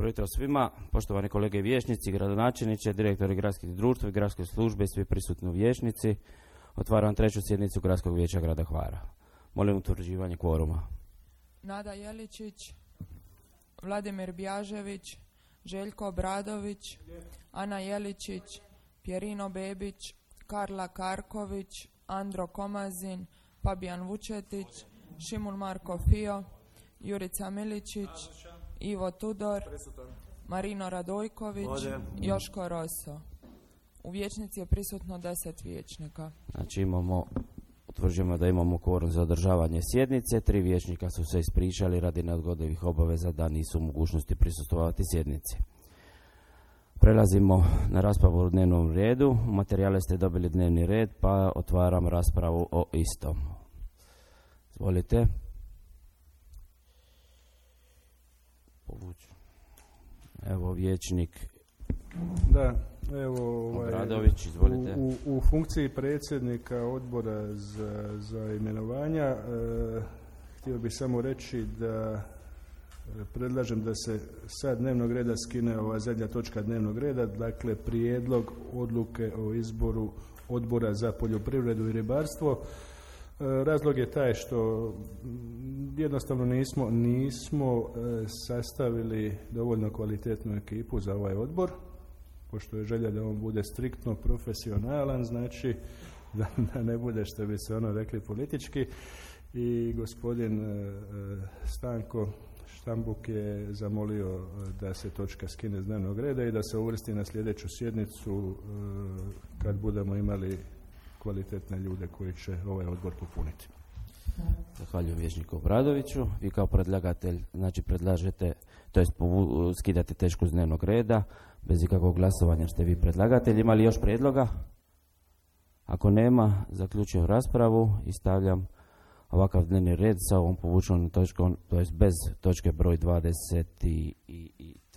Dobro jutro svima, poštovani kolege vijećnici, gradonačelniče, direktori gradskih društva i gradske službe i svi prisutni vijećnici. Otvaram treću sjednicu Gradskog vijeća grada Hvara. Molim utvrđivanje kvoruma. Nada Jeličić, Vladimir Bjažević, Željko Obradović, Ana Jeličić, Pjerino Bebić, Karla Karković, Andro Komazin, Fabijan Vučetić, Šimul Marko Fio, Jurica Miličić, Ivo Tudor, Marino Radojković, Joško Roso. U vijećnici je prisutno 10 vijećnika. Znači utvrđujemo da imamo kvorum za održavanje sjednice. 3 vijećnika su se ispričali radi neodgodivih obaveza da nisu u mogućnosti prisustvovati sjednici. Prelazimo na raspravu o dnevnom redu. U materijale ste dobili dnevni red, pa otvaram raspravu o istom. Izvolite. Evo vijećnik. Da, evo Obradović, izvolite. U funkciji predsjednika odbora za imenovanja htio bih samo reći da predlažem da se sa dnevnog reda skine ova zadnja točka dnevnog reda, dakle prijedlog odluke o izboru odbora za poljoprivredu i ribarstvo. Razlog je taj što jednostavno nismo sastavili dovoljno kvalitetnu ekipu za ovaj odbor, pošto je želja da on bude striktno profesionalan, znači da ne bude, što bi se rekli, politički. I gospodin Stanko Štambuk je zamolio da se točka skine s dnevnog reda i da se uvrsti na sljedeću sjednicu kad budemo imali kvalitetne ljude koji će ovaj odbor popuniti. Zahvaljujem vijećniku Obradoviću. Vi kao predlagatelj, znači predlažete, to jest skidate točku s dnevnog reda, bez ikakvog glasovanja ste vi predlagatelj. Ima li još prijedloga? Ako nema, zaključujem raspravu i stavljam ovakav dnevni red sa ovom povučenom točkom, to jest bez točke broj 23,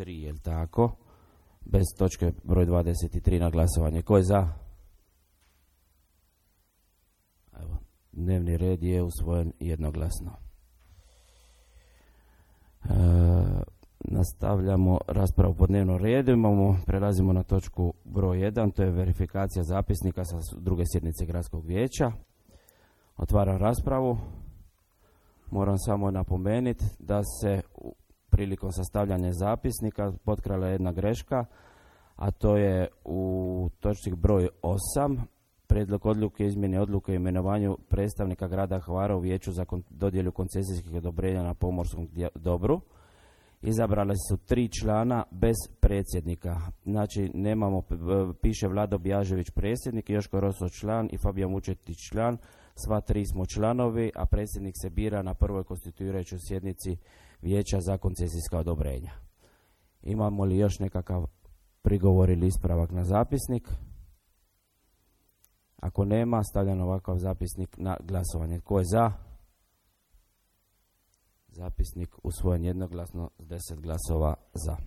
jel tako? Bez točke broj 23 na glasovanje. Ko je za? Evo, dnevni red je usvojen jednoglasno. Nastavljamo raspravu po dnevnom redu. Prelazimo na točku broj 1, to je verifikacija zapisnika sa druge sjednice Gradskog vijeća. Otvaram raspravu. Moram samo napomenuti da se prilikom sastavljanja zapisnika potkrala jedna greška, a to je u točci broj 8, prijedlog odluke izmjene odluke o imenovanju predstavnika grada Hvara u vijeću za dodjelu koncesijskih odobrenja na pomorskom dobru. Izabrali su 3 člana bez predsjednika. Znači piše Vlado Bjažević predsjednik, Joško Roso član i Fabijan Vučetić član. Sva 3 smo članovi, a predsjednik se bira na prvoj konstituirajućoj sjednici vijeća za koncesijska odobrenja. Imamo li još nekakav prigovor ili ispravak na zapisnik? Ako nema, stavljam ovakav zapisnik na glasovanje. Tko je za? Zapisnik usvojen jednoglasno s 10 glasova za.